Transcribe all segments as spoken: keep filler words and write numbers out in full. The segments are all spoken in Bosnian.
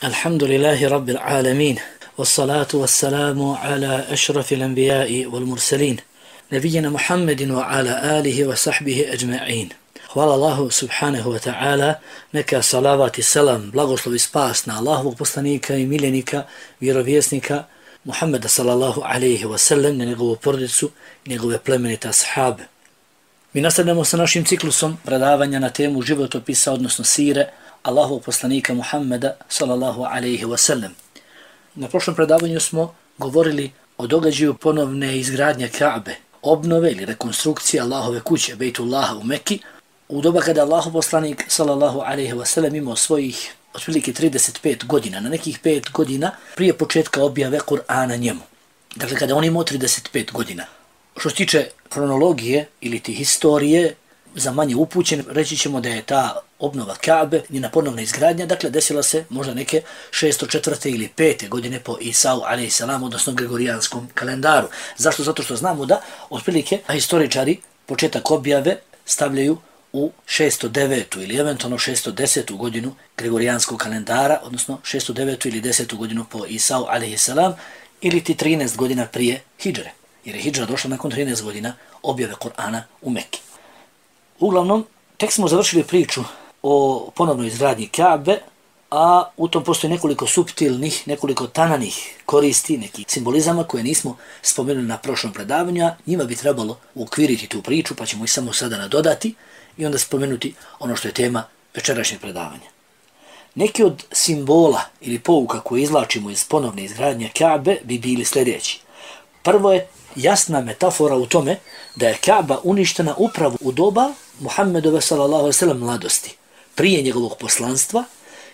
الحمد لله رب العالمين والصلاة والسلام على أشرف الأنبياء والمرسلين نبينا محمد وعلى آله وصحبه أجمعين. Hvala Allahu subhanahu wa ta'ala, neka salavat i selam, blagoslov i spas na Allahovog poslanika i miljenika, vjerovjesnika Muhammeda sallallahu alaihi wa sallam, na njegovu porodicu i njegove plemenite ashabe. Mi nastavljamo sa našim ciklusom predavanja na temu životopisa, odnosno sire Allahovog poslanika Muhammeda sallallahu alaihi wa sallam. Na prošlom predavanju smo govorili o događaju ponovne izgradnje Ka'be, obnove ili rekonstrukcije Allahove kuće, Bejtullaha u Mekki, u doba kada Allahov poslanik sallallahu alaihi wa sallam imao svojih otprilike trideset pet godina, na nekih pet godina prije početka objave Kur'ana njemu. Dakle, kada on imao trideset pet godina. Što se tiče kronologije ili ti historije, za manje upućen, reći ćemo da je ta obnova Ka'be, njena ponovna izgradnja, dakle, desila se možda neke šesto četvrte ili pete godine po Isau alejhi selam, odnosno Gregorijanskom kalendaru. Zašto? Zato što znamo da otprilike historičari početak objave stavljaju u šesto devetu ili eventualno šesto desetu godinu Gregorijanskog kalendara, odnosno šesto devetu ili desetu godinu po Isau alejhi selam, ili ti trinaest godina prije hidžre, jer je hidžra došla nakon trinaest godina objave Kur'ana u Mekki. Uglavnom, tek smo završili priču o ponovnoj izgradnji Ka'be, a u tom postoji nekoliko suptilnih, nekoliko tananih koristi, nekih simbolizama koje nismo spomenuli na prošlom predavanju, a njima bi trebalo uokviriti tu priču, pa ćemo ih samo sada nadodati i onda spomenuti ono što je tema večerašnjeg predavanja. Neki od simbola ili pouka koje izvlačimo iz ponovne izgradnje Ka'be bi bili sljedeći. Prvo je jasna metafora u tome da je Ka'ba uništena upravo u doba Muhammedove sallallahu alejhi ve sellem mladosti, prije njegovog poslanstva,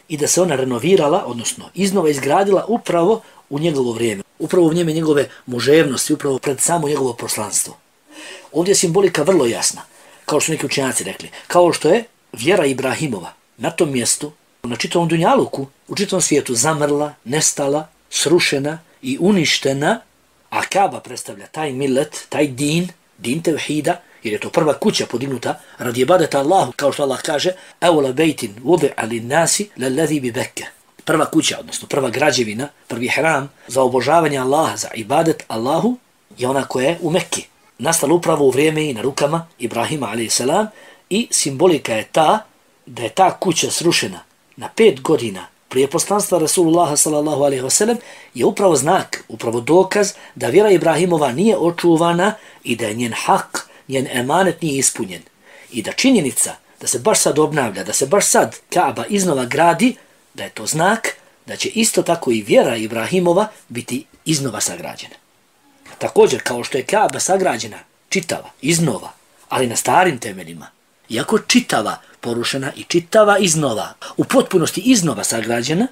i da se ona renovirala, odnosno iznova izgradila upravo u njegovo vrijeme, upravo u vrijeme njegove muževnosti, upravo pred samo njegovo poslanstvo. Ovdje je simbolika vrlo jasna, kao što neki učenjaci rekli, kao što je vjera Ibrahimova na tom mjestu, na čitavom dunjaluku, u čitavom svijetu zamrla, nestala, srušena i uništena, a Ka'ba predstavlja taj millet, taj din, din tevhida, jer je to prva kuća podignuta radi ibadeta Allahu, kao što Allah kaže Awla bejtin wudi'a lin-nasi lalladhi bi Bekke. Prva kuća, odnosno prva građevina, prvi hram za obožavanje Allaha, za ibadet Allahu, je ona koja je u Mekki. Nastala upravo u vrijeme i na rukama Ibrahima alejhi selam, i simbolika je ta da je ta kuća srušena na pet godina prije poslanstva Rasulullaha sallallahu alejhi ve sellem, je upravo znak, upravo dokaz da vjera Ibrahimova nije očuvana i da je njen hak, njen emanet nije ispunjen. I da činjenica da se baš sad obnavlja, da se baš sad Ka'ba iznova gradi, da je to znak da će isto tako i vjera Ibrahimova biti iznova sagrađena. Također, kao što je Ka'ba sagrađena čitava, iznova, ali na starim temeljima, iako čitava porušena i čitava iznova, u potpunosti iznova sagrađena,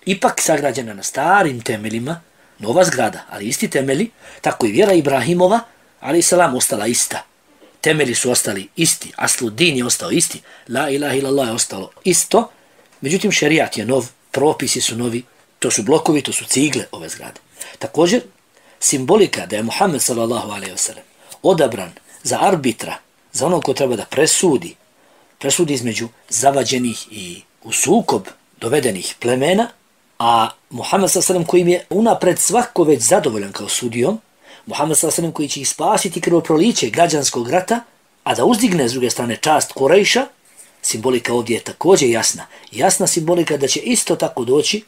ipak sagrađena na starim temeljima, nova zgrada, ali isti temeli, tako i vjera Ibrahimova, ali selam, ostala ista. Temeli su ostali isti, asludin je ostao isti, la ilaha illallah je ostalo isto, međutim šerijat je nov, propisi su novi, to su blokovi, to su cigle ove zgrade. Također, simbolika da je Muhammed sallallahu alejhi ve sellem odabran za arbitra, za onog ko treba da presudi, presudi između zavađenih i u sukob dovedenih plemena, a Muhammed sallallahu alejhi ve sellem kojim je unapred svako već zadovoljan kao sudijom, Muhammed sallallahu alejhi ve sellem koji će ih spasiti krvoproliće građanskog rata, a da uzdigne s druge strane čast Kurejša, simbolika ovdje je također jasna. Jasna simbolika da će isto tako doći,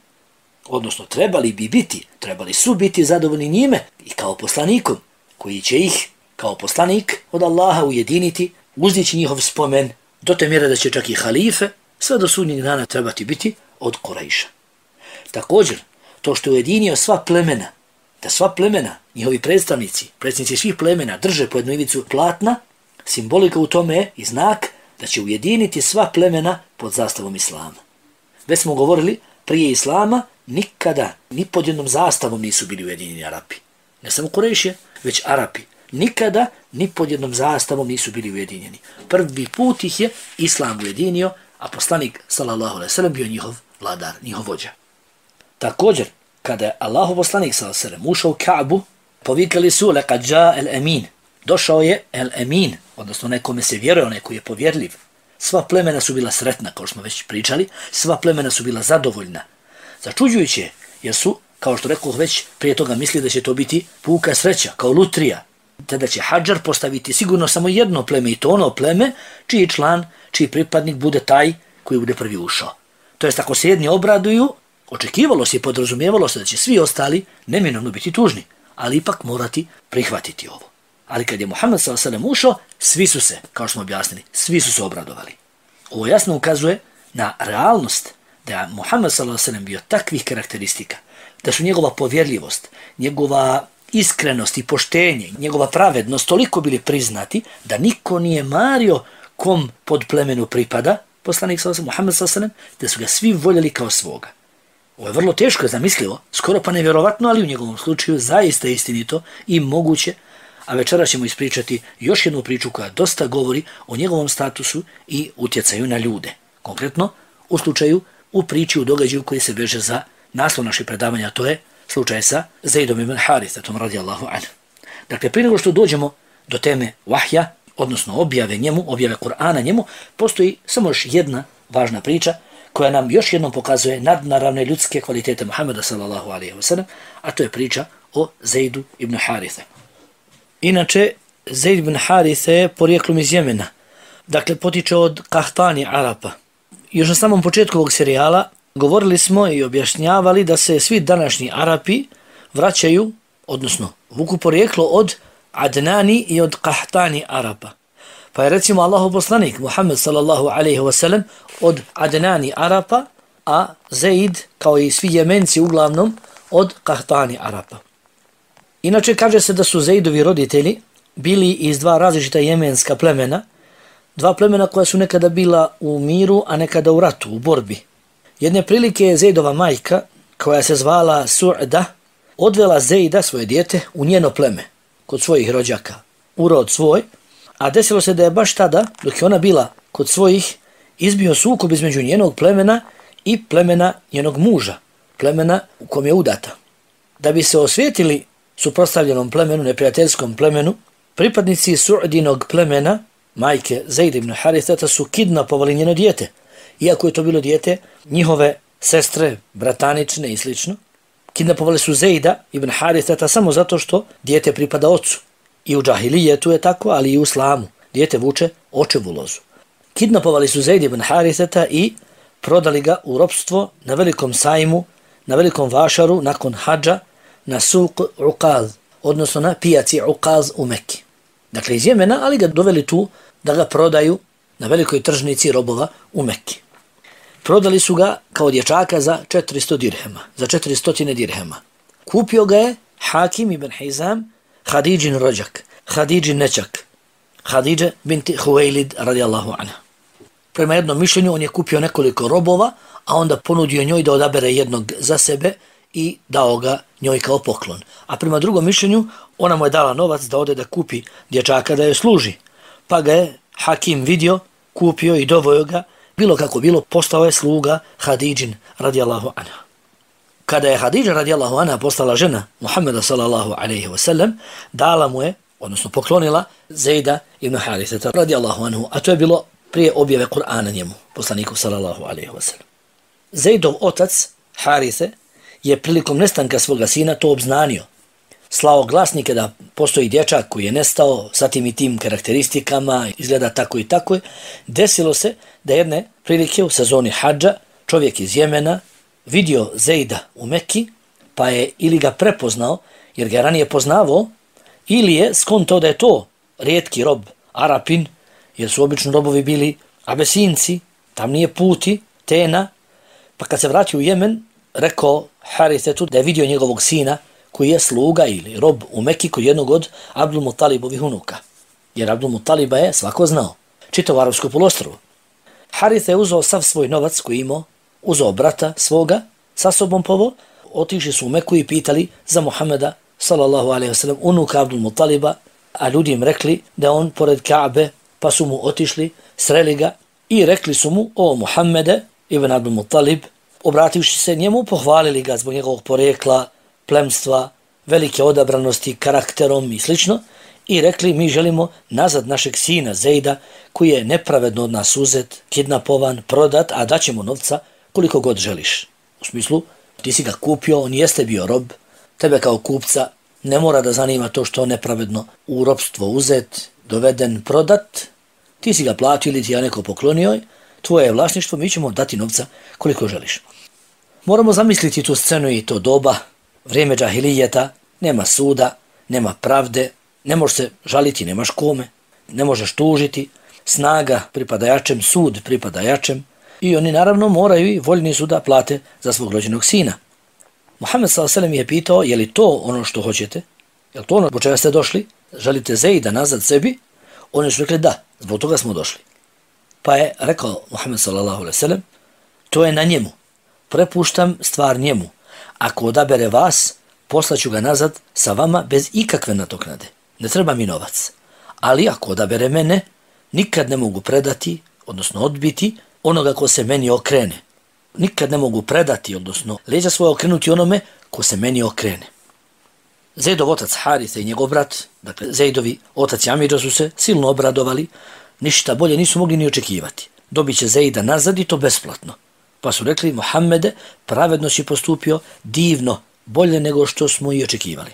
odnosno trebali bi biti, trebali su biti zadovoljni njime i kao poslanikom, koji će ih kao poslanik od Allaha ujediniti, uzdići njihov spomen, do te mjere da će čak i halife sve do sudnjeg dana trebati biti od Kurejša. Također, to što je ujedinio sva plemena, da sva plemena, njihovi predstavnici, predstavnici svih plemena drže po jednu ivicu platna, simbolika u tome je i znak da će ujediniti sva plemena pod zastavom Islama. Već smo govorili, prije Islama nikada, ni pod jednom zastavom nisu bili ujedinjeni Arapi. Ne samo Kurejšije, već Arapi. Nikada, ni pod jednom zastavom nisu bili ujedinjeni. Prvi put ih je Islam ujedinio, a poslanik sallallahu alejhi ve sellem bio njihov vladar, njihov vođa. Također, kada je Allahov poslanik sallallahu alejhi ve sellem ušao u Ka'bu, povikali su laqad jaa al-amin. Došao je el-amin, odnosno nekome se vjeruje, onaj koji je povjerljiv. Sva plemena su bila sretna, kao što smo već pričali, sva plemena su bila zadovoljna. Začuđujuće, jer su, kao što rekao već, prije toga misli da će to biti puka sreća, kao lutrija. Tada će hadžar postaviti sigurno samo jedno pleme i to ono pleme čiji član, čiji pripadnik bude taj koji bude prvi ušao. To jest ako se jedni obraduju, očekivalo se i podrazumijevalo se da će svi ostali neminovno biti tužni, ali ipak morati prihvatiti ovo. Ali kad je Muhammed sallallahu alejhi ve sellem ušao, svi su se, kao što smo objasnili, svi su se obradovali. Ovo jasno ukazuje na realnost da je Muhammed sallallahu alejhi ve sellem bio takvih karakteristika, da su njegova povjerljivost, njegova iskrenost i poštenje, njegova pravednost toliko bili priznati da niko nije mario kom pod plemenu pripada, poslanik sallallahu alejhi ve sellem, Muhammed sallallahu alejhi ve sellem, da su ga svi voljeli kao svoga. Ovo je vrlo teško zamislivo, skoro pa nevjerovatno, ali u njegovom slučaju zaista istinito i moguće, a večera ćemo ispričati još jednu priču koja dosta govori o njegovom statusu i utjecaju na ljude. Konkretno, u slučaju, u priči, u događaju koji se veže za naslov naših predavanja, to je slučaj sa Zaidom ibn Harithatom radijallahu anhu. Dakle, prije nego što dođemo do teme vahja, odnosno objave njemu, objave Kur'ana njemu, postoji samo još jedna važna priča koja nam još jednom pokazuje nadnaravne ljudske kvalitete Muhammeda sallallahu alejhi ve sellem, a to je priča o Zaidu ibn Harithe. Inače, Zaid ibn Harithe je porijeklom iz Jemena, dakle potiče od Kahtani Arapa. Još na samom početku ovog serijala govorili smo i objašnjavali da se svi današnji Arapi vraćaju, odnosno vuku porijeklo od Adnani i od Kahtani Arapa. Pa je recimo Allahov poslanik Muhammed sallallahu alejhi ve sellem od Adnani Arapa, a Zaid kao i svi Jemenci uglavnom od Kahtani Arapa. Inače kaže se da su Zaidovi roditelji bili iz dva različita jemenska plemena, dva plemena koja su nekada bila u miru, a nekada u ratu, u borbi. Jedne prilike je Zaidova majka, koja se zvala Su'da, odvela Zaida, svoje dijete, u njeno pleme, kod svojih rođaka, u rod svoj, a desilo se da je baš tada, dok je ona bila kod svojih, izbio sukob između njenog plemena i plemena njenog muža, plemena u kom je udata. Da bi se osvijetili suprotstavljenom plemenu, neprijateljskom plemenu, pripadnici Su'dinog plemena, majke Zaid ibn Harithata, su kidnapovali njeno dijete, iako je to bilo dijete njihove sestre, bratanične i slično. Kidnapovali su Zaida ibn Harithata samo zato što dijete pripada ocu. I u džahilijetu je tako, ali i u islamu. Dijete vuče očevu lozu. Kidnapovali su Zaid ibn Harithata i prodali ga u ropstvo na velikom sajmu, na velikom vašaru nakon hadža, na suq Uqaz, odnosno na pijaci Uqaz u Mekki. Dakle, iz Jemena, ali ga doveli tu da ga prodaju na velikoj tržnici robova u Mekki. Prodali su ga kao dječaka za četiristo dirhema, za četiristo dirhema. Kupio ga je Hakim ibn Hizam, Hadidžin rođak, Hadidžin nečak, Hadidže binti Huwailid radijallahu anha. Prema jednom mišljenju on je kupio nekoliko robova, a onda ponudio njoj da odabere jednog za sebe i dao ga njoj kao poklon. A prema drugom mišljenju ona mu je dala novac da ode da kupi dječaka da joj služi. Pa ga je Hakim vidio, kupio i dovojio ga, bilo kako bilo, postao je sluga Hadidžin radijallahu anha. Kada je Hadidža radijallahu anha postala žena Muhammeda sallallahu alejhi ve sellem, dala mu je, odnosno poklonila Zaida ibn Harithata radijallahu anhu, a to je bilo prije objave Kur'ana njemu, poslaniku sallallahu alejhi ve sellem. Zaidov otac Harithe je prilikom nestanka svoga sina to obznanio. Slao glasnike da postoji dječak koji je nestao sa tim i tim karakteristikama, izgleda tako i tako. Desilo se da jedne prilike u sezoni hadža čovjek iz Jemena vidio Zaida u Mekki, pa je ili ga prepoznao, jer ga ranije poznavao, ili je skontao da je to rijetki rob, Arapin, jer su obično robovi bili Abesinci, tam nije puti, Tena, pa kad se vratio u Jemen, rekao Harithetu da je vidio njegovog sina koji je sluga ili rob u Mekki kod jednog od Abdul Mutalibovih unuka. Jer Abdul Mutaliba je svako znao, čitao arapsko polostrovo. Harithe je uzeo sav svoj novac koji imao, uzeo brata svoga, sa sobom povo, otišli su u Meku i pitali za Muhameda sallallahu alejhi ve sellem, unuka Abdul Mutaliba, a ljudi im rekli da on pored Ka'be, pa su mu otišli, sreli ga i rekli su mu: o Muhammede ibn Abdul Mutalib, obrativši se njemu, pohvalili ga zbog njegovog porekla, plemstva, velike odabranosti, karakterom i slično, i rekli: mi želimo nazad našeg sina Zaida, koji je nepravedno od nas uzet, kidnapovan, prodat, a daćemo novca koliko god želiš. U smislu, ti si ga kupio, on jeste bio rob, tebe kao kupca ne mora da zanima to što on nepravedno u robstvo uzet, doveden, prodat, ti si ga platio ili ti ja neko poklonio, tvoje je vlasništvo, mi ćemo dati novca koliko želiš. Moramo zamisliti tu scenu i to doba, vrijeme džahilijeta, nema suda, nema pravde, ne možeš se žaliti, nemaš kome, ne možeš tužiti, snaga pripada jačem, sud pripada jačem i oni naravno moraju i voljni su da plate za svog rođenog sina. Muhammed sallallahu alejhi ve sellem je pitao, je li to ono što hoćete? Je li to ono po čega ste došli? Želite Zejda nazad sebi? Oni su rekli da, zbog toga smo došli. Pa je rekao Muhammed sallallahu alejhi ve sellem, to je na njemu. Prepuštam stvar njemu. Ako odabere vas, poslaću ga nazad sa vama bez ikakve nadoknade. Ne treba mi novac. Ali ako odabere mene, nikad ne mogu predati, odnosno odbiti, onoga ko se meni okrene. Nikad ne mogu predati, odnosno leđa svoje okrenuti onome ko se meni okrene. Zejdov otac Harise i njegov brat, dakle Zejdovi otac i amidža su se silno obradovali, ništa bolje nisu mogli ni očekivati. Dobit će Zejda nazad i to besplatno. Pa su rekli, Muhammede, pravedno si postupio, divno, bolje nego što smo i očekivali.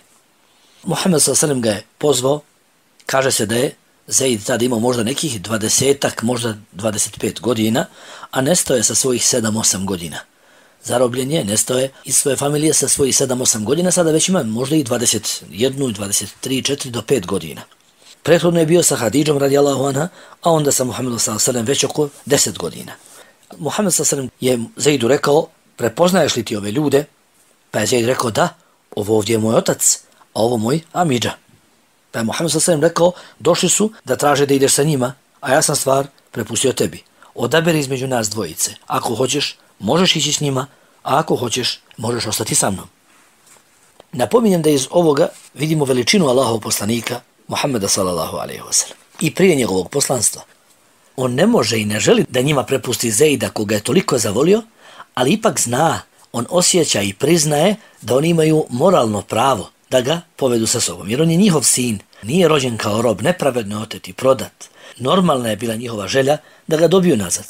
Muhammed sallallahu alejhi ve sellem ga je pozvao, kaže se da je Zejd tada imao možda nekih dvadesetak, možda dvadeset pet godina, a nestao je sa svojih sedam osam godina. Zarobljen je, nestao je iz svoje familije sa svojih sedam osam godina, sada već ima možda i dvadeset jedan, dvadeset tri, četiri do pet godina. Prethodno je bio sa Hadidžom radijallahu anha, a onda sa Muhammedom sallallahu alejhi ve sellem već oko deset godina. Muhammed sallallahu alejhi ve sellem je Zejdu rekao, prepoznaješ li ti ove ljude? Pa je Zejd rekao, da, ovo ovdje je moj otac, a ovo moj amidža. Pa je Muhammed sallallahu alejhi ve sellem rekao, došli su da traže da ideš sa njima, a ja sam stvar prepustio tebi. Odaberi između nas dvojice. Ako hoćeš, možeš ići s njima, a ako hoćeš, možeš ostati sa mnom. Napominjem da iz ovoga vidimo veličinu Allahovog poslanika, Muhammeda sallallahu alejhi ve sellem. I prije njegovog poslanstva. On ne može i ne želi da njima prepusti Zejda koga je toliko zavolio, ali ipak zna, on osjeća i priznaje da oni imaju moralno pravo da ga povedu sa sobom. Jer on je njihov sin, nije rođen kao rob, nepravedno otet i prodat. Normalna je bila njihova želja da ga dobiju nazad.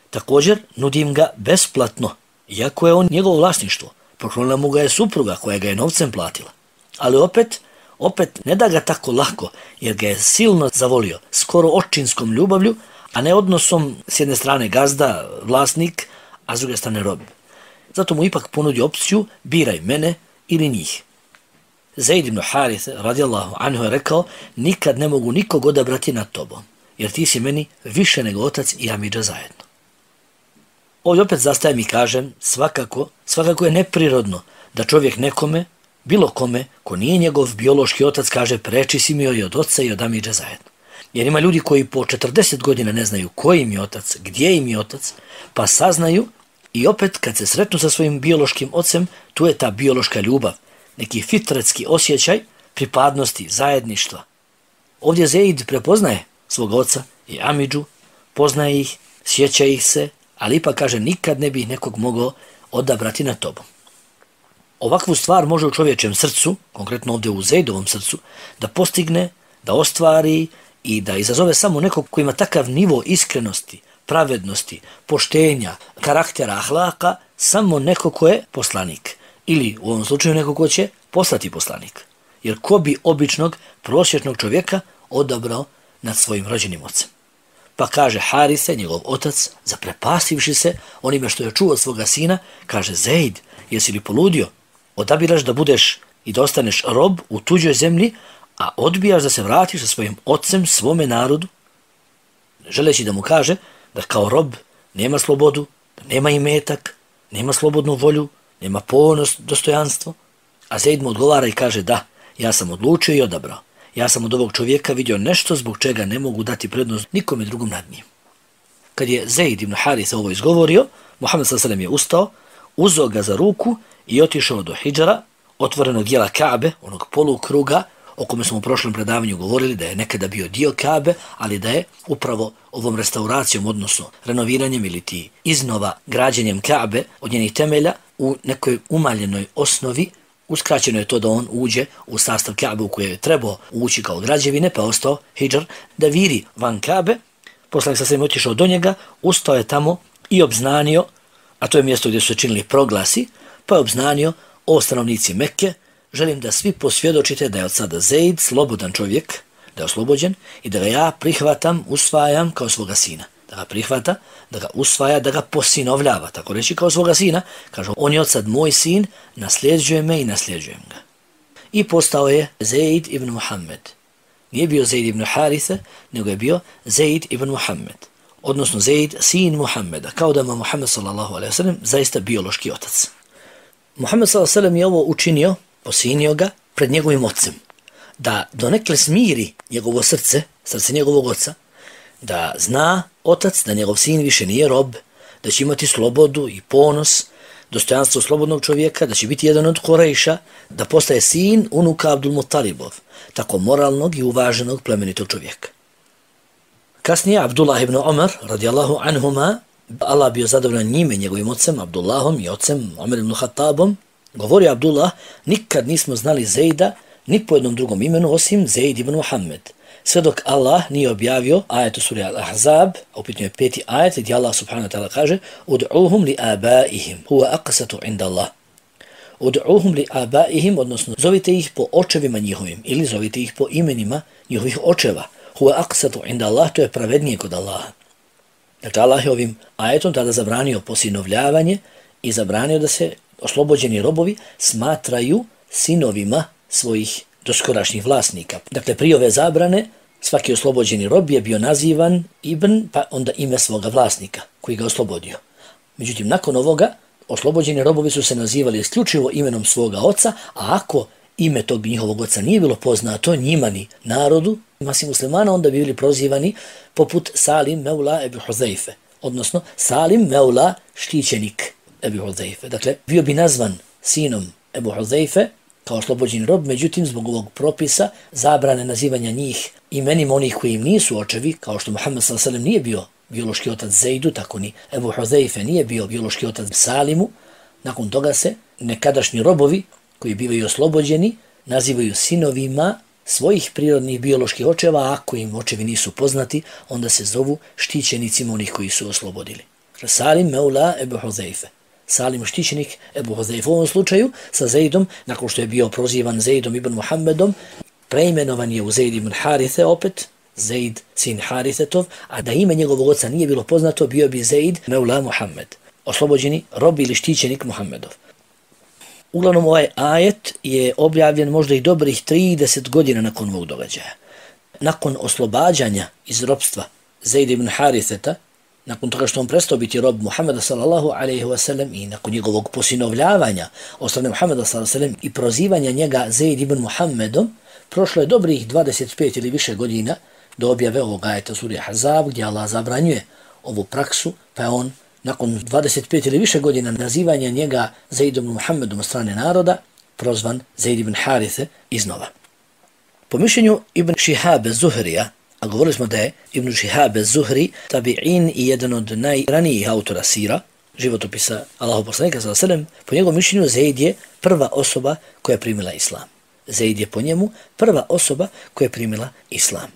Također, nudim ga besplatno, iako je on njegovo vlasništvo. Poklonila mu ga je supruga koja ga je novcem platila. Ali opet, opet ne da ga tako lako, jer ga je silno zavolio, skoro očinskom ljubavlju, a ne odnosom s jedne strane gazda, vlasnik, a s druge strane rob. Zato mu ipak ponudi opciju, biraj mene ili njih. Zejd ibn Harise, radijallahu anhu, je rekao, nikad ne mogu nikog odabrati nad tobom, jer ti si meni više nego otac i amidža zajedno. Ovdje opet zastajem i kažem, svakako, svakako je neprirodno da čovjek nekome, bilo kome, ko nije njegov biološki otac, kaže preči si mi i od oca i od amidža zajedno. Jer ima ljudi koji po četrdeset godina ne znaju koji im je otac, gdje im je otac, pa saznaju i opet kad se sretnu sa svojim biološkim ocem, tu je ta biološka ljubav, neki fitretski osjećaj pripadnosti, zajedništva. Ovdje Zejd prepoznaje svog oca i amidžu, poznaje ih, sjeća ih se, ali ipak kaže nikad ne bi nekog mogao odabrati na tobom. Ovakvu stvar može u čovječem srcu, konkretno ovdje u Zejdovom srcu, da postigne, da ostvari i da izazove samo nekog koji ima takav nivo iskrenosti, pravednosti, poštenja, karaktera, ahlaka, samo neko ko je poslanik. Ili u ovom slučaju neko ko će poslati poslanik. Jer ko bi običnog, prosječnog čovjeka odabrao nad svojim rođenim ocem? Pa kaže Harise, njegov otac, zaprepastivši se onime što je čuo od svoga sina, kaže Zejd, jesi li poludio? Odabiraš da budeš i da ostaneš rob u tuđoj zemlji, a odbijaš da se vratiš sa svojim ocem, svome narodu? Želeći da mu kaže da kao rob nema slobodu, da nema imetak, nema slobodnu volju, nema ponos, dostojanstvo. A Zejd mu odgovara i kaže da, ja sam odlučio i odabrao. Ja sam od ovog čovjeka vidio nešto zbog čega ne mogu dati prednost nikome drugom nad njim. Kad je Zejd ibn Harise ovo izgovorio, Muhammed sallallahu alejhi ve sellem je ustao, uzeo ga za ruku i otišao do hidžara, otvorenog dijela Kabe, onog polukruga, o kome smo u prošlom predavanju govorili da je nekada bio dio Kabe, ali da je upravo ovom restauracijom, odnosno renoviranjem ili ti iznova građenjem Kabe od njenih temelja u nekoj umaljenoj osnovi, uskraćeno je to da on uđe u sastav Kabe u koje je trebao ući kao građevine, pa ostao hidžar da viri van Kabe. Poslanik sa svem otišao do njega, ustao je tamo i obznanio, a to je mjesto gdje su se činili proglasi, pa je obznanio: o stanovnici Mekke, želim da svi posvjedočite da je od sada Zeid slobodan čovjek, da je oslobođen i da ga ja prihvatam, usvajam kao svoga sina. Da ga prihvata, da ga usvaja, da ga posinovljava, tako reći, kao svoga sina. Kaže: on je od sad moj sin, nasljeđuje me i nasljeđujem ga. I postao je Zeid ibn Muhammed. Nije bio Zeid ibn Haritha, nego je bio Zeid ibn Muhammed. Odnosno Zeid, sin Muhammeda, kao da ima Muhammed sallallahu alejhi ve sellem zaista biološki otac. Muhammed sallallahu alejhi ve sellem je ovo učinio, posinio ga pred njegovim ocem, da donekle smiri njegovo srce, srce njegovog oca, da zna otac da njegov sin više nije rob, da će imati slobodu i ponos, dostojanstvo slobodnog čovjeka, da će biti jedan od Kurejša, da postaje sin unuka Abdul Muttalibov, tako moralnog i uvaženog plemenitog čovjeka. Kasnije Abdullah ibn Umar, radijallahu anhuma, Allah bio zadovoljan njime, njegovim ocem Abdullahom i ocem Umar ibn Khattabom, govorio Abdullah: nikad nismo znali Zeida ni po jednom drugom imenu osim Zeid ibn Muhammed. Sve dok Allah nije objavio ajet u suri Al-Ahzab, a u pitanju je peti ajet, gdje Allah subhanahu wa ta'ala kaže: ud'uhum li abaihim, huwa aqsatu inda Allah. Ud'uhum li abaihim, odnosno zovite ih po očevima njihovim, ili zovite ih po imenima njihovih očeva. Huwa aqsatu inda Allah, to je pravednije kod Allaha. Dakle, Allah je ovim ajetom tada zabranio posinovljavanje i zabranio da se oslobođeni robovi smatraju sinovima svojih doskorašnjih vlasnika. Dakle, prije ove zabrane svaki oslobođeni rob je bio nazivan ibn, pa onda ime svoga vlasnika koji ga oslobodio. Međutim, nakon ovoga oslobođeni robovi su se nazivali isključivo imenom svoga oca, a ako ime tog njihovog oca nije bilo poznato njima ni narodu, masi muslimana, onda bi bili prozivani poput Salim Meula Ebu Huzeife, odnosno Salim Meula štićenik Ebu Huzeife. Dakle, bio bi nazvan sinom Ebu Huzeife kao oslobođeni rob, međutim, zbog ovog propisa zabrane nazivanja njih imenima onih koji im nisu očevi, kao što Muhammed sallallahu alejhi ve sellem nije bio biološki otac Zeidu, tako ni Ebu Huzeife nije bio biološki otac Salimu. Nakon toga se nekadašnji robovi koji bivaju oslobođeni nazivaju sinovima svojih prirodnih bioloških očeva, a ako im očevi nisu poznati, onda se zovu štićenicima onih koji su oslobodili. Salim Meula Ebu Huzeife. Salim štićenik Ebu Huzeife. U ovom slučaju sa Zeidom, nakon što je bio prozivan Zeidom ibn Muhammedom, preimenovan je u Zeid ibn Harithe opet, Zeid sin Harithetov, a da ime njegovog oca nije bilo poznato, bio bi Zeid Meula Muhammed, oslobođeni rob ili štićenik Muhammedov. Uglavnom, ovaj ajet je objavljen možda i dobrih trideset godina nakon ovog događaja. Nakon oslobađanja iz robstva Zeid ibn Haritheta, nakon toga što on prestao biti rob Muhammeda sallallahu alejhi ve sellem i nakon njegovog posinovljavanja od strane Muhammeda sallallahu alejhi ve sellem i prozivanja njega Zeid ibn Muhammedom, prošlo je dobrih dvadeset pet ili više godina do objave ovog ajeta suri Ahzab, gdje Allah zabranjuje ovu praksu, pa je on nakon dvadeset pet ili više godina nazivanja njega Zeid ibn Muhammedom od strane naroda prozvan Zeid ibn Harithe iznova. Po mišljenju Ibn Šihabe Zuhrija, a govorili smo da je Ibn Šihabe Zuhri tabi'in i jedan od najranijih autora sira, životopisa Allahov poslanika sallallahu alejhi ve sellem, po njegovom mišljenju Zeid je prva osoba koja je primila islam. Zeid je po njemu prva osoba koja je primila islam.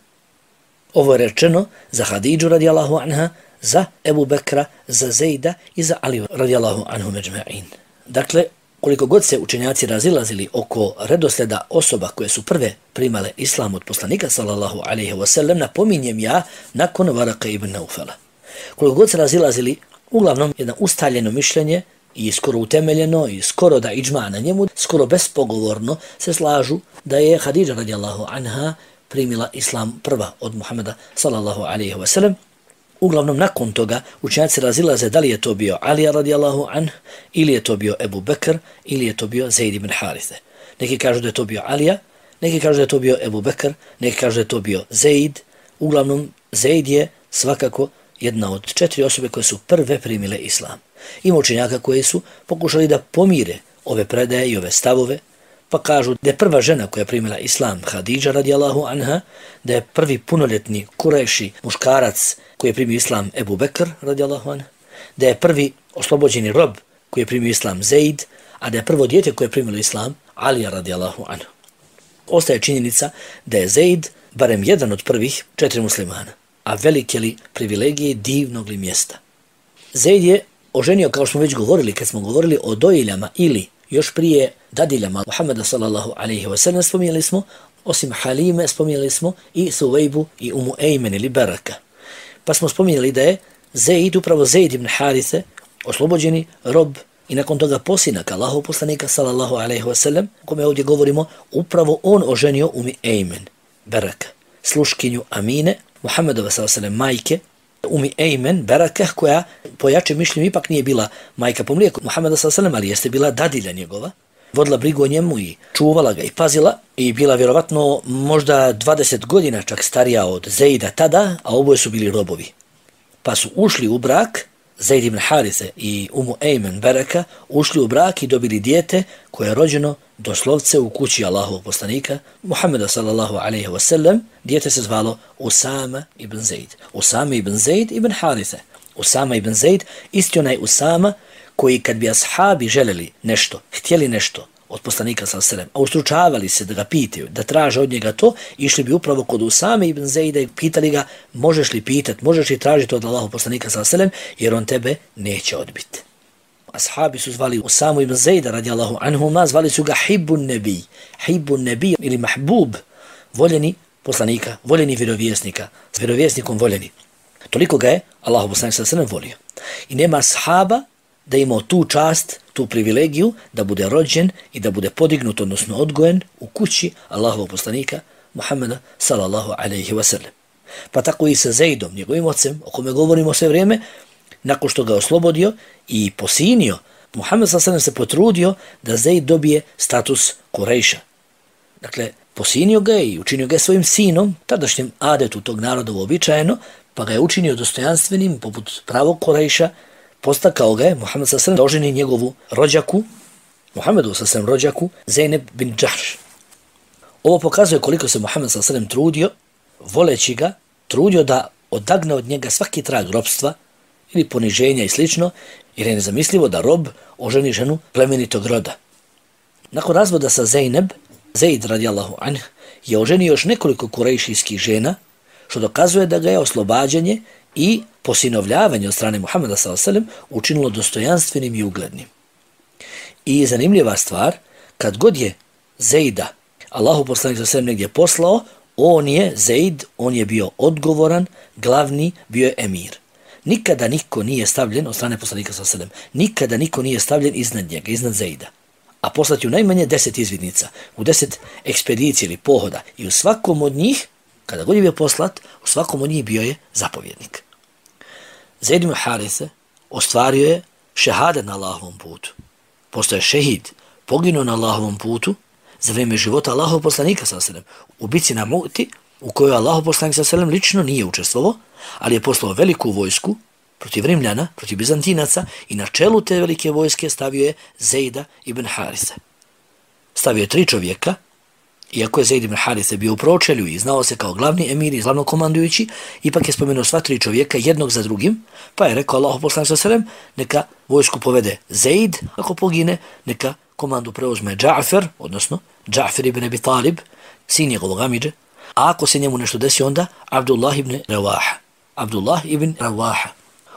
Ovo je rečeno za Hadidžu radijallahu anha, za Ebu Bekra, za Zeida i za Ali radijallahu anhu međma'in. Dakle, koliko god se učenjaci razilazili oko redosleda osoba koje su prve primale islam od poslanika sallallahu alejhi ve sellem, napominjem ja nakon Varaka ibn Naufala. Koliko god se razilazili, uglavnom jedno ustaljeno mišljenje i skoro utemeljeno i skoro da iđma na njemu, skoro bespogovorno se slažu da je Hadidža radijallahu anha primila islam prva od Muhammeda sallallahu alejhi ve sellem. Uglavnom, nakon toga učenjaci razilaze da li je to bio Ali radijallahu anh, ili je to bio Ebu Bekr, ili je to bio Zeid ibn Harithe. Neki kažu da je to bio Alija, neki kažu da je to bio Ebu Bekr, neki kažu da je to bio Zeid. Uglavnom, Zeid je svakako jedna od četiri osobe koje su prve primile islam. Ima učenjaka koji su pokušali da pomire ove predaje i ove stavove, pa kažu da je prva žena koja je primila islam Hadidža radijallahu anha, da je prvi punoljetni Kurejši muškarac koji je primio islam Ebu Bekr radijallahu anha, da je prvi oslobođeni rob koji je primio islam Zeid, a da je prvo dijete koje je primilo islam Alija radijallahu anha. Ostaje činjenica da je Zeid barem jedan od prvih četiri muslimana, a velike li privilegije divnog li mjesta. Zeid je oženio, kao što smo već govorili, kad smo govorili o dojiljama ili još prije dadiljama Muhammeda sallallahu alaihi wa sallam, spominjali smo, osim Halime, spominjali smo i Suvejbu i Umu Ejmen ili Baraka. Pa smo spominjali da je Zeid, upravo Zeid ibn Harithe, oslobođeni rob i nakon toga posinak Allahov poslanika sallallahu alaihi wa sallam, o kome ovdje govorimo, upravo on oženio Umi Ejmen, Baraka, sluškinju Amine, Muhammedova sallallahu alaihi wa sallam majke, Umi Ejmen, Baraka, koja po jačem mišljenju ipak nije bila majka po mlijeku Muhammeda sallallahu alaihi wa sallam, ali jeste bila dadilja njegova, vodila brigu o njemu i čuvala ga i pazila i bila vjerovatno možda dvadeset godina čak starija od Zeida tada, a oboje su bili robovi. Pa su ušli u brak, Zeid ibn Harithe i Umu Ejmen Baraka, ušli u brak i dobili dijete koje je rođeno doslovce u kući Allahovog poslanika Muhammeda sallallahu alaihi wa sallam. Dijete se zvalo Usama ibn Zeid. Usama ibn Zeid ibn Harithe. Usama ibn Zeid, isti onaj Usama koji kad bi ashabi želeli nešto, htjeli nešto od poslanika sallallahu alejhi ve sellem, a ustručavali se da ga pitaju, da traže od njega to, išli bi upravo kod Usame ibn Zeida i pitali ga, možeš li pitat, možeš li tražiti od Allahov poslanika sallallahu alejhi ve sellem, jer on tebe neće odbiti. Ashabi su zvali Usamu ibn Zeida radijallahu anhuma, zvali su ga Hibbun Nebi, Hibbun Nebi ili Mahbub, voljeni poslanika, voljeni vjerovjesnika, s vjerovjesnikom voljeni. Toliko ga je Allahov poslanik sallallahu alejhi ve sellem volio. I nema ashaba da imao tu čast, tu privilegiju da bude rođen i da bude podignut, odnosno odgojen u kući Allahovog poslanika Muhammeda sallallahu alaihi wa sallam. Pa tako i sa Zeidom, njegovim ocem, o kome govorimo sve vrijeme, nakon što ga oslobodio i posinio, Muhammed sallallahu alaihi wa sallam se potrudio da Zeid dobije status Kurejša. Dakle, posinio ga i učinio ga svojim sinom, tadašnjem adetu tog naroda uobičajeno, pa ga je učinio dostojanstvenim, poput pravog Kurejša. Postakao ga je Muhammed sallallahu alejhi ve sellem da oženi njegovu rođaku, Muhammedu sallallahu alejhi ve sellem rođaku, Zeynep bin Džahš. Ovo pokazuje koliko se Muhammed sallallahu alejhi ve sellem trudio, voleći ga, trudio da odagne od njega svaki trag robstva ili poniženja i slično, jer je nezamislivo da rob oženi ženu plemenitog roda. Nakon razvoda sa Zeynep, Zeid radijallahu anh je oženio još nekoliko kurejšijskih žena, što dokazuje da ga je oslobađanje i posinovljavanje od strane Muhammeda sallallahu alejhi ve sellem učinilo dostojanstvenim i uglednim. I zanimljiva stvar, kad god je Zeida Allahu poslanik sallallahu alejhi ve sellem negdje poslao, on je Zeid, on je bio odgovoran, glavni, bio je emir. Nikada niko nije stavljen od strane poslanika sallallahu alejhi ve sellem, nikada niko nije stavljen iznad njega, iznad Zeida. A poslati u najmanje deset izvidnica, u deset ekspedicija ili pohoda i u svakom od njih, kada god je bio poslat, u svakom od njih bio je zapovjednik. Zeid ibn Harithe ostvario je šehadet na Allahovom putu. Postoje šehid, poginuo na Allahovom putu za vrijeme života Allahov poslanika sallallahu alejhi ve sellem u bici na Mu'ti, u kojoj Allahov poslanik sallallahu alejhi ve sellem lično nije učestvovao, ali je poslao veliku vojsku protiv Rimljana, protiv Bizantinaca i na čelu te velike vojske stavio je Zeida ibn Harithe. Stavio je tri čovjeka. Iako je Zeid ibn Harithe bio u pročelju i znao se kao glavni emir i glavno komandujući, ipak je spomenuo sva tri čovjeka jednog za drugim, pa je rekao Allahu poslanik sallallahu alejhi ve sellem, neka vojsku povede Zeid, ako pogine, neka komandu preuzme Dža'fer, odnosno Dža'fer ibn Abi Talib, sin njegovog amidže, a ako se njemu nešto desi onda, Abdullah ibn Rawaha. Abdullah ibn Rawaha.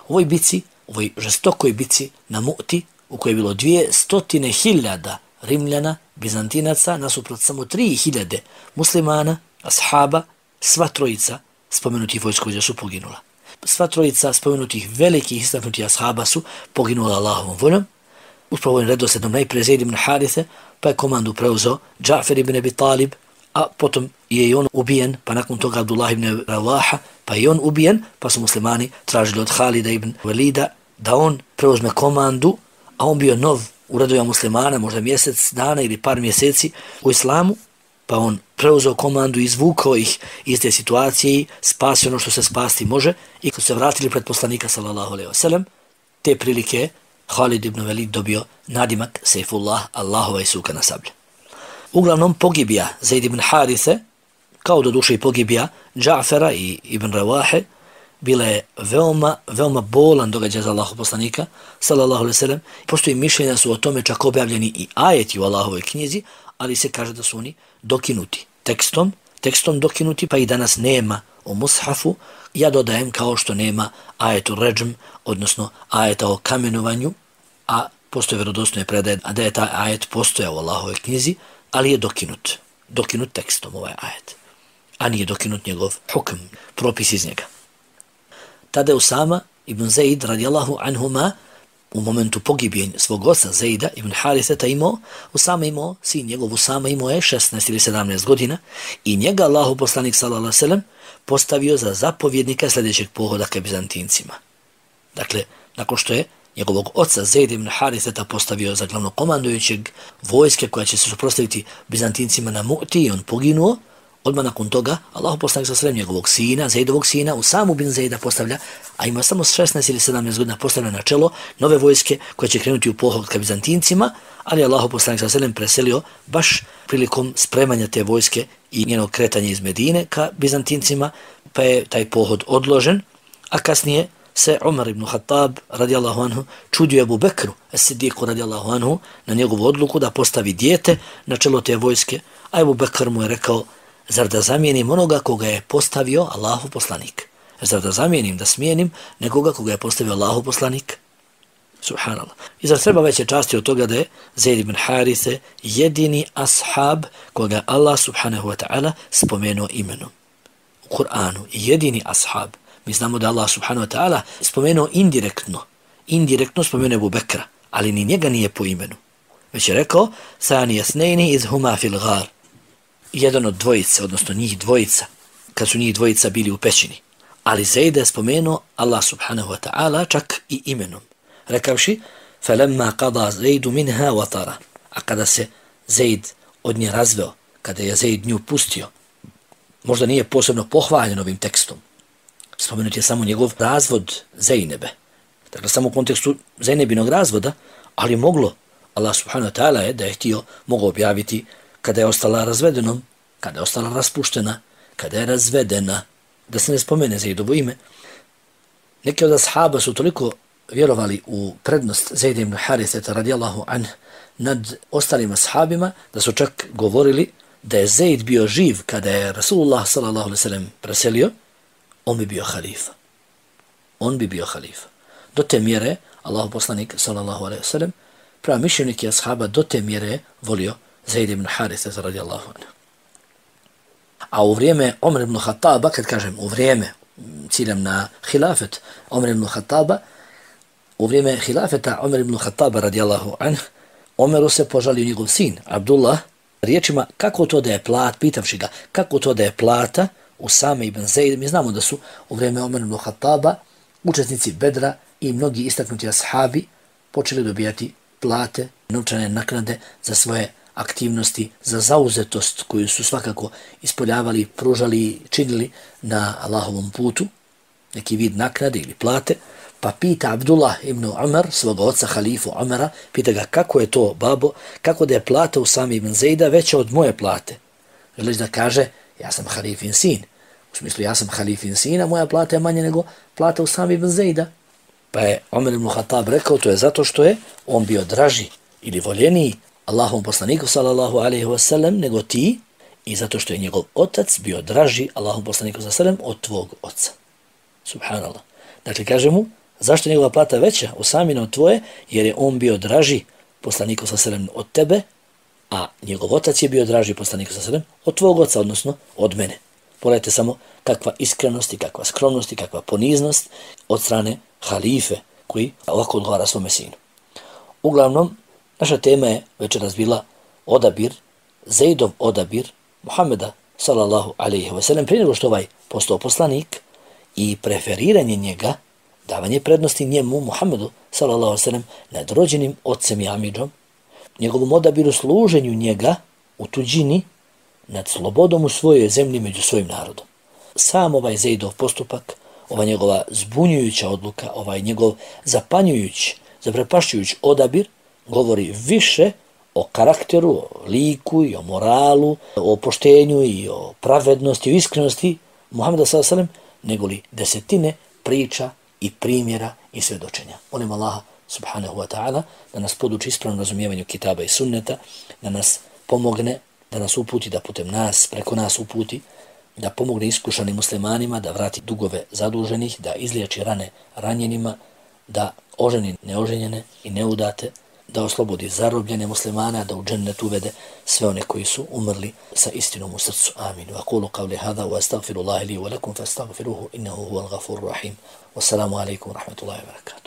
U ovoj bici, u ovoj žestokoj bici na Mu'ti, u kojoj je bilo dvije stotine hiljada Rimljana, Bizantinaca, nasuprot samo tri hiljade muslimana, ashaba, sva trojica spomenutih vojskovođa su poginula. Sva trojica spomenutih velikih istaknutih ashaba su poginula Allahovom voljom. Uspravo ovim redosledom najprije Zeid ibn Harithe, pa je komandu preuzeo Dža'fer ibn Abi Talib, a potom je i on ubijen, pa nakon toga Abdullah ibn Rawaha, pa i on ubijen, pa su muslimani tražili od Halida ibn Walida da on preuzme komandu, a on bio nov u redovima muslimana, možda mjesec dana ili par mjeseci u islamu, pa on preuzeo komandu i izvukao ih iz te situacije i spasio ono što se spasti može i kad su se vratili pred poslanika sallallahu alejhi ve sellem, te prilike Halid ibn Walid dobio nadimak Sejfullah, Allahova i suka na sablje. Uglavnom pogibija Zeid ibn Harithe, kao do duše i pogibija Dža'fera i ibn Rawahe, bila je veoma, veoma bolan događaj za Allahov poslanika, sallallahu alejhi ve sellem. Postoji mišljenja su o tome čak objavljeni i ajeti u Allahovoj knjizi, ali se kaže da su oni dokinuti tekstom, tekstom dokinuti, pa i danas nema u mushafu. Ja dodajem kao što nema ajetu ređm, odnosno ajeta o kamenovanju, a postoje vjerodostojne predaje da je taj ajet postojao u Allahovoj knjizi, ali je dokinut. Dokinut tekstom ovaj ajet. A nije dokinut njegov hukm, propis iz njega. Tada je Usama ibn Zaid radijallahu anhuma u momentu pogibjenja svog oca Zaida ibn Hariseta imao, Usama imao, sin njegov Usama imao je šesnaest ili sedamnaest godina i njega Allahu poslanik sallallahu alejhi ve sellem postavio za zapovjednika sljedećeg pohoda ka Bizantincima. Dakle, nakon što je njegovog oca Zaida ibn Hariseta postavio za glavnokomandujućeg vojske koja će se suprotstaviti Bizantincima na Mu'ti i on poginuo, odmah nakon toga Allahu poslanik sallallahu alejhi ve sellem njegovog sina, Zaidovog sina, Usamu bin Zaida postavlja, a ima samo šesnaest ili sedamnaest godina, postavlja na čelo nove vojske koje će krenuti u pohod ka Bizantincima, ali Allahu poslanik sallallahu alejhi ve sellem preselio baš prilikom spremanja te vojske i njenog kretanja iz Medine ka Bizantincima, pa je taj pohod odložen, a kasnije se Umar ibn Khattab radijallahu anhu čudio Abu Bekru as-Siddiqu radijallahu anhu na njegovu odluku da postavi dijete na čelo te vojske, a Abu Bekr mu je rekao: zar da zamijenim onoga koga je postavio Allahu poslanik? Zar da zamijenim, da smijenim nekoga koga je postavio Allahu poslanik? Subhanallah. I zar treba veće časti od toga da je Zaid ibn Harise jedini ashab koga Allah subhanahu wa ta'ala spomenuo imenom u Kur'anu. Jedini ashab. Mi znamo da Allah subhanahu wa ta'ala spomenuo indirektno. Indirektno spomenuo Abu Bekra, ali ni njega nije po imenu. Već je rekao: Thani yasnaini iz huma fil ghar. Jedan od dvojice, odnosno njih dvojica, kad su njih dvojica bili u pećini. Ali Zaida je spomenuo Allah subhanahu wa ta'ala čak i imenom, rekavši: فَلَمَّا قَضَى زَيْدُ مِنْهَا وَطَرَ. A kada se Zaid od nje razveo, kada je Zaid nju pustio, možda nije posebno pohvaljen ovim tekstom. Spomenut je samo njegov razvod Zainebe. Dakle, samo u kontekstu Zainebinog razvoda, ali moglo, Allah subhanahu wa ta'ala je, da je htio, mogao objaviti kada je ostala razvedenom, kada je ostala raspuštena, kada je razvedena, da se ne spomene Zaidovo ime. Neki od ashaba su toliko vjerovali u prednost Zaida ibn Hariseta radijallahu anh nad ostalim ashabima, da su čak govorili da je Zaid bio živ kada je Rasulullah sallallahu alejhi ve sellem preselio, on bi bio halifa. On bi bio halifa. Do te mjere, Allahu poslanik sallallahu alejhi ve sellem, prava mišljenike ashaba do te mjere volio Zaid ibn Hariseta radijallahu anh. A u vrijeme Omer ibn Khattaba, kad kažem u vrijeme, ciljam na hilafet Omer ibn Khattaba, u vrijeme hilafeta Omer ibn Khattaba radijallahu anh, Omeru se požalio njegov sin, Abdullah, riječima kako to da je plat, pitavši ga kako to da je plata Usame ibn Zaid. Mi znamo da su u vrijeme Omer ibn Khattaba učesnici Bedra i mnogi istaknuti ashabi počeli dobijati plate, novčane naknade za svoje aktivnosti, za zauzetost koju su svakako ispoljavali, pružali, činili na Allahovom putu, neki vid naknade ili plate. Pa pita Abdullah ibn Umar, svoga oca halifu Umara, pita ga kako je to, babo, kako da je plata Usame ibn Zaida veća od moje plate. Želiš da kaže, ja sam halifin sin. U smislu, ja sam halifin sin, a moja plata je manje nego plata Usame ibn Zaida. Pa je Omer ibn Khattab rekao, to je zato što je on bio draži ili voljeniji Allahom poslaniku sallallahu alejhi ve sellem nego ti, i zato što je njegov otac bio draži Allahom poslaniku sallallahu alejhi ve sellem od tvog oca. Subhanallah. Dakle, kaže mu, zašto je njegova plata veća Usamina od tvoje? Jer je on bio draži poslaniku sallallahu alejhi ve sellem od tebe, a njegov otac je bio draži poslaniku sallallahu alejhi ve sellem od tvog oca, odnosno od mene. Pogledajte samo kakva iskrenost i kakva skromnost i kakva poniznost od strane halife koji ovako odgovara svome sinu. Uglavnom, naša tema je večeras bila odabir, Zaidov odabir Muhameda sallallahu alejhi ve sellem prije nego što ovaj postao poslanik i preferiranje njega, davanje prednosti njemu, Muhammedu sallallahu alejhi ve sellem, nad rođenim ocem i amidžom, njegovom odabiru služenju njega u tuđini nad slobodom u svojoj zemlji među svojim narodom. Sam ovaj Zaidov postupak, ova njegova zbunjujuća odluka, ovaj njegov zapanjujući, zaprepašćujući odabir, govori više o karakteru, o liku i o moralu, o poštenju i o pravednosti, o iskrenosti Muhameda sallallahu alejhi ve sellem, nego li desetine priča i primjera i svjedočenja. Molim Allaha subhanahu wa ta'ala da nas poduči ispravnom razumijevanju kitaba i sunneta, da nas pomogne da nas uputi, da putem nas, preko nas uputi, da pomogne iskušanim muslimanima, da vrati dugove zaduženih, da izliječi rane ranjenima, da oženi neoženjene i neudate, da oslobodi zarobljene muslimana, da u džennet uvede sve one koji su umrli sa istinom u srcu. Amin. Wa qulu qawli hadha wa astaghfirullaha li wa lakum fastaghfiruhu innahu huwal ghafurur rahim. Wassalamu alaikum wa rahmatullahi wa barakatuh.